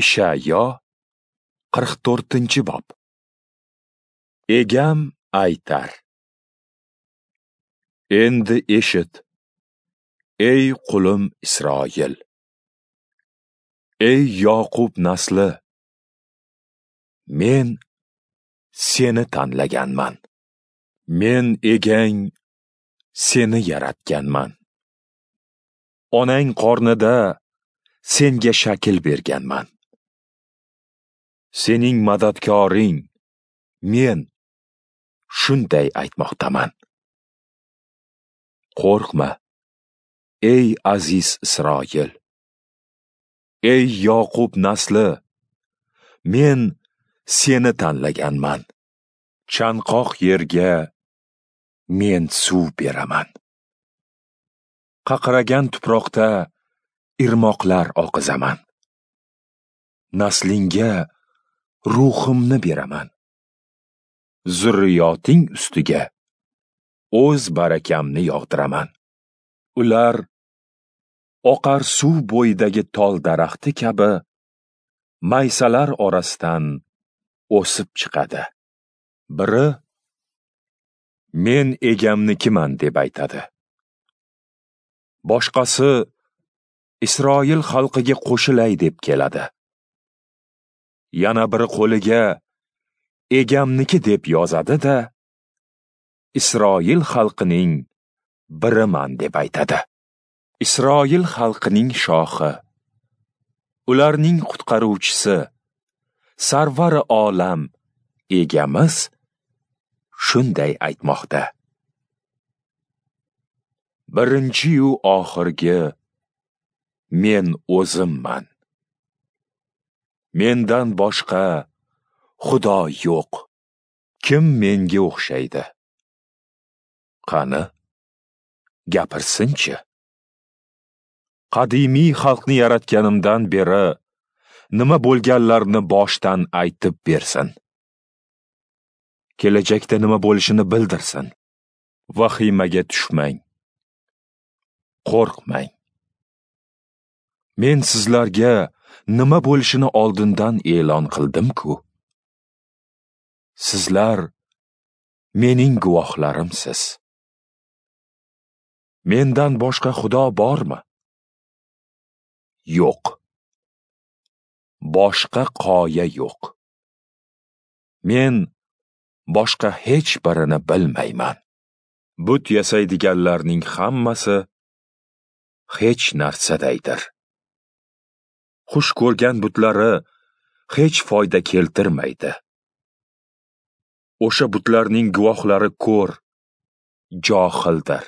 Ishayo 44-bob. Egam aytar: Endi eshit, ey qulim Isroil, ey Yoqub nasli, men seni tanlaganman. Men egang seni yaratganman. Onang qornida senga shakl berganman. Sening madadkoring men shunday aytmoqdaman. Qo'rqma, ey aziz Isroil, ey Yoqub nasli, men seni tanlaganman. Chanqoq yerga men suv beraman. Qaqragan tuproqda irmoqlar oqizaman. Naslingga ruhimni beraman. Zurriyoting ustiga o'z barakamni yog'diraman. Ular oqar suv bo'yidagi tol daraxti kabi maysalar orasidan o'sib chiqadi. Biri men egamnikiman deb aytadi. Boshqasi Isroil xalqiga qo'shilay deb keladi. Yana biri qo'liga egamniki deb yozadi-da, Isroil xalqining biriman deb aytadi. Isroil xalqining shohi, ularning qutqaruvchisi, sarvari olam egamiz shunday aytmoqda. Birinchi-yu oxirgi men o'zimman. Mendan boshqa Xudo yo'q. Kim menga o'xshaydi? Qani, gapirsinchi. Qadimiy xalqni yaratganimdan beri nima bo'lganlarini boshdan aytib bersin. Kelajakda nima bo'lishini bildirsin. Vahimaga tushmang. Qo'rqmang. Men sizlarga nima bo'lishini oldindan e'lon qildim-ku. Sizlar mening guvohlarimsiz. Mendan boshqa Xudo bormi? Yo'q. Boshqa qoya yo'q. Men boshqa hech birini bilmayman. But yasaydiganlarning hammasi hech narsadaydir. Xush ko'rgan butlari hech foyda keltirmaydi. O'sha butlarning guvohlari ko'r, johildir.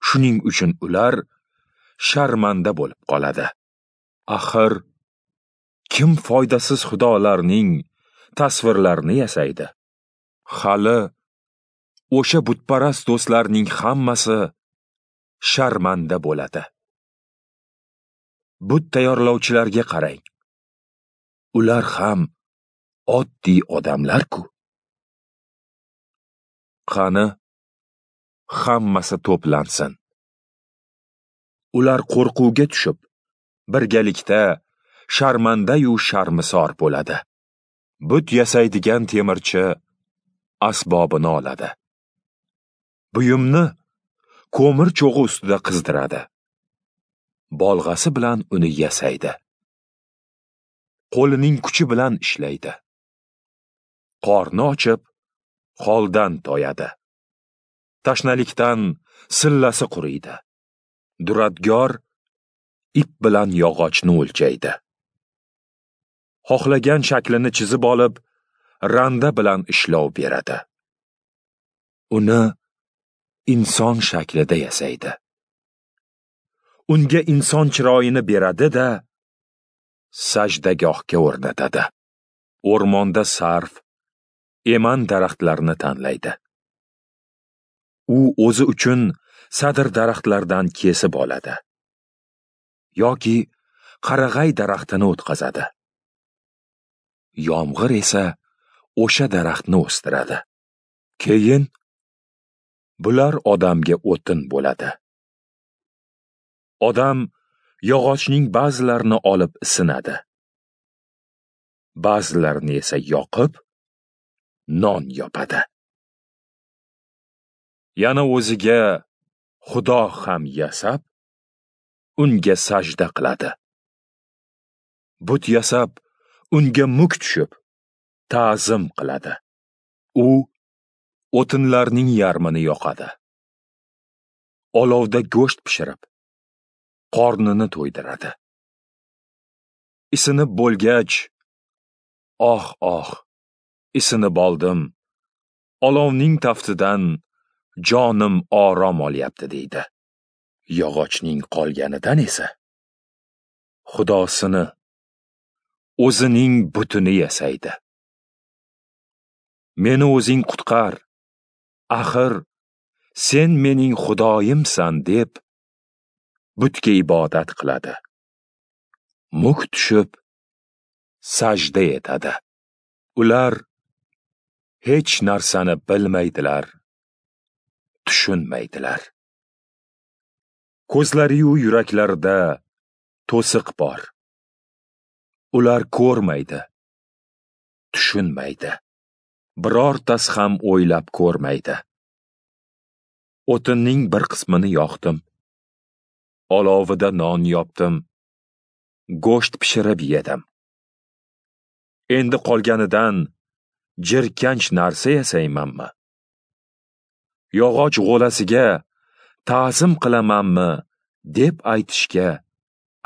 Shuning uchun ular sharmanda bo'lib qoladi. Axir kim foydasiz xudolarning tasvirlarini yasaydi? Hali o'sha butparast do'stlarning hammasi sharmanda bo'ladi. But tayyorlovchilarga qarang. Ular ham oddiy odamlar-ku. Qani, hammasi to'plansin. Ular qo'rquvga tushib, birgalikda sharmanda-yu sharmisor bo'ladi. But yasaydigan temirchi asbobini oladi. Buyumni ko'mir cho'g'i ustida qizdiradi. Bolg'asi bilan uni yasaydi. Qo'lining kuchi bilan ishlaydi. Qorni ochib, holdan toyadi. Tashnalikdan sillasi quriydi. Duradgor ip bilan yog'ochni o'lchaydi. Xohlagan shaklini chizib olib, randa bilan ishlov beradi. Uni inson shaklida yasaydi. Unga inson chiroyini beradi-da, sajdagohga o'rnatadi. O'rmonda sarv, eman daraxtlarini tanlaydi. U o'zi uchun sadr daraxtlardan kesib oladi yoki qarag'ay daraxtini o'tqazadi. Yomg'ir esa o'sha daraxtni o'stiradi. Keyin bular odamga o'tin bo'ladi. Odam yog'ochning ba'zilarini olib isinadi. Ba'zilarini esa yoqib, non yopadi. Yana o'ziga Xudo ham yasab, unga sajda qiladi. But yasab, unga muk tushib, ta'zim qiladi. U o'tinlarning yarmini yoqadi. Olovda go'sht pishirib, qornini to'ydiradi. Isinib bo'lgach, oh oh, isinib oldim. Olovning taftidan jonim orom olyapti deydi. Yog'ochning qolganidan esa xudosini, o'zining butini yasaydi. Meni o'zing qutqar, axir sen mening xudoyimsan deb butga ibodat qiladi. Muk tushib sajda etadi. Ular hech narsani bilmaydilar, tushunmaydilar. Ko'zlari-yu yuraklarida to'siq bor. Ular ko'rmaydi, tushunmaydi. Birortasi ham o'ylab ko'rmaydi. O'tinning bir qismini yoqdim. Olovida non yopdim. Go'sht pishirib yedim. Endi qolganidan jirkanch narsa yasaymanmi? Yog'och g'o'lasiga ta'zim qilamanmi deb aytishga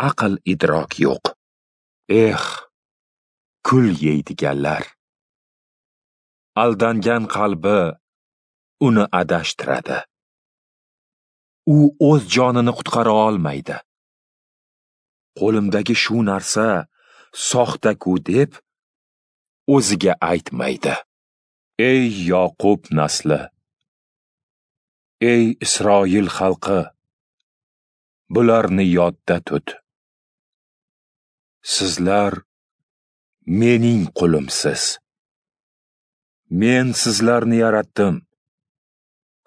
aql idrok yo'q. Eh, kul yeydiganlar! Aldangan qalbi uni adashtiradi. U o'z jonini qutqara olmaydi. Qo'limdagi shu narsa soxta-ku deb o'ziga aytmaydi. Ey Yoqub nasli! Ey Isroil xalqi! Bularni yodda tut. Sizlar mening qulimsiz. Men sizlarni yaratdim.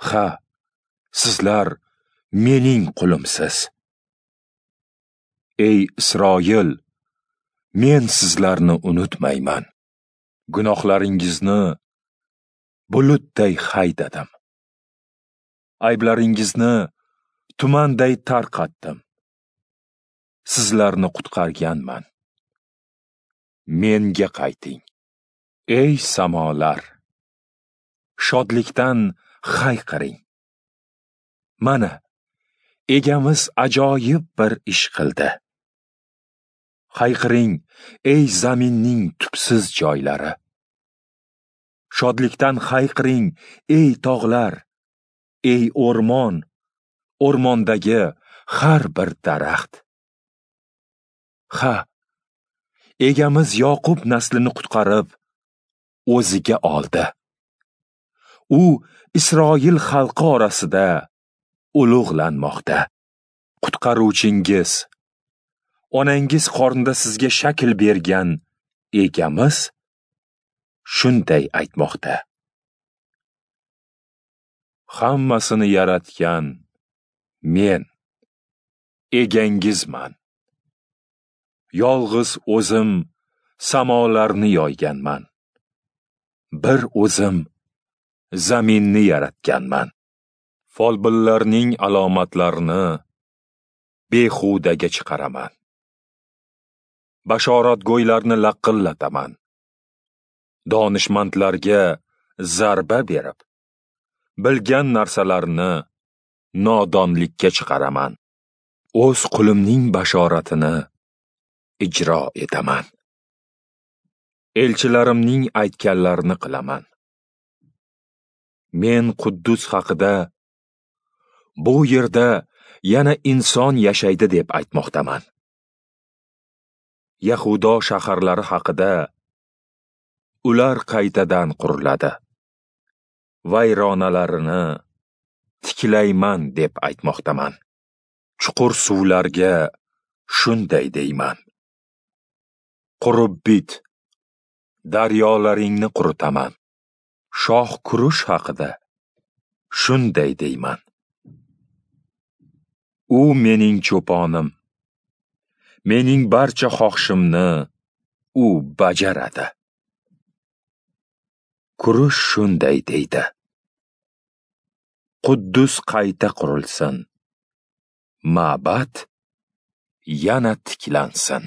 Ha, sizlar mening qulimsiz. Ey Isroil, men sizlarni unutmayman. Gunohlaringizni bulutday haydadim. Ayblaringizni tumanday tarqatdim. Sizlarni qutqarganman. Menga qayting. Ey samolar, shodlikdan hayqiring. Mana, egamiz ajoyib bir ish qildi. Hayqiring, ey zaminning tubsiz joylari. Shodlikdan hayqiring, ey tog'lar, ey o'rmon, o'rmondagi har bir daraxt. Ha, egamiz Yoqub naslini qutqarib, o'ziga oldi. U Isroil xalqi orasida ulug'lanmoqda. Qutqaruvchingiz, onangiz qornida sizga shakl bergan egamiz shunday aytmoqda. Hammasini yaratgan men, egangizman. Yolg'iz o'zim samolarni yoyganman. Bir o'zim zaminni yaratganman. Folbinlarning alomatlarini behudaga chiqaraman. Bashoratgo'ylarni laqillataman. Donishmandlarga zarba berib, bilgan narsalarini nodonlikka chiqaraman. O'z qulimning bashoratini ijro etaman. Elchilarimning aytganlarini qilaman. Men Quddus haqida bu yerda yana inson yashaydi deb aytmoqdaman. Yahudo shaharlari haqida ular qaytadan quriladi. Vayronalarini tiklayman deb aytmoqdaman. Chuqur suvlarga shunday deyman. Qurib bit, daryolaringni quritaman. Shoh Kurush haqida shunday deyman. U mening cho'ponim. Mening barcha xohishimni u bajaradi. Kurush shunday deydi: Quddus qayta qurilsin, ma'bad yana tiklansin.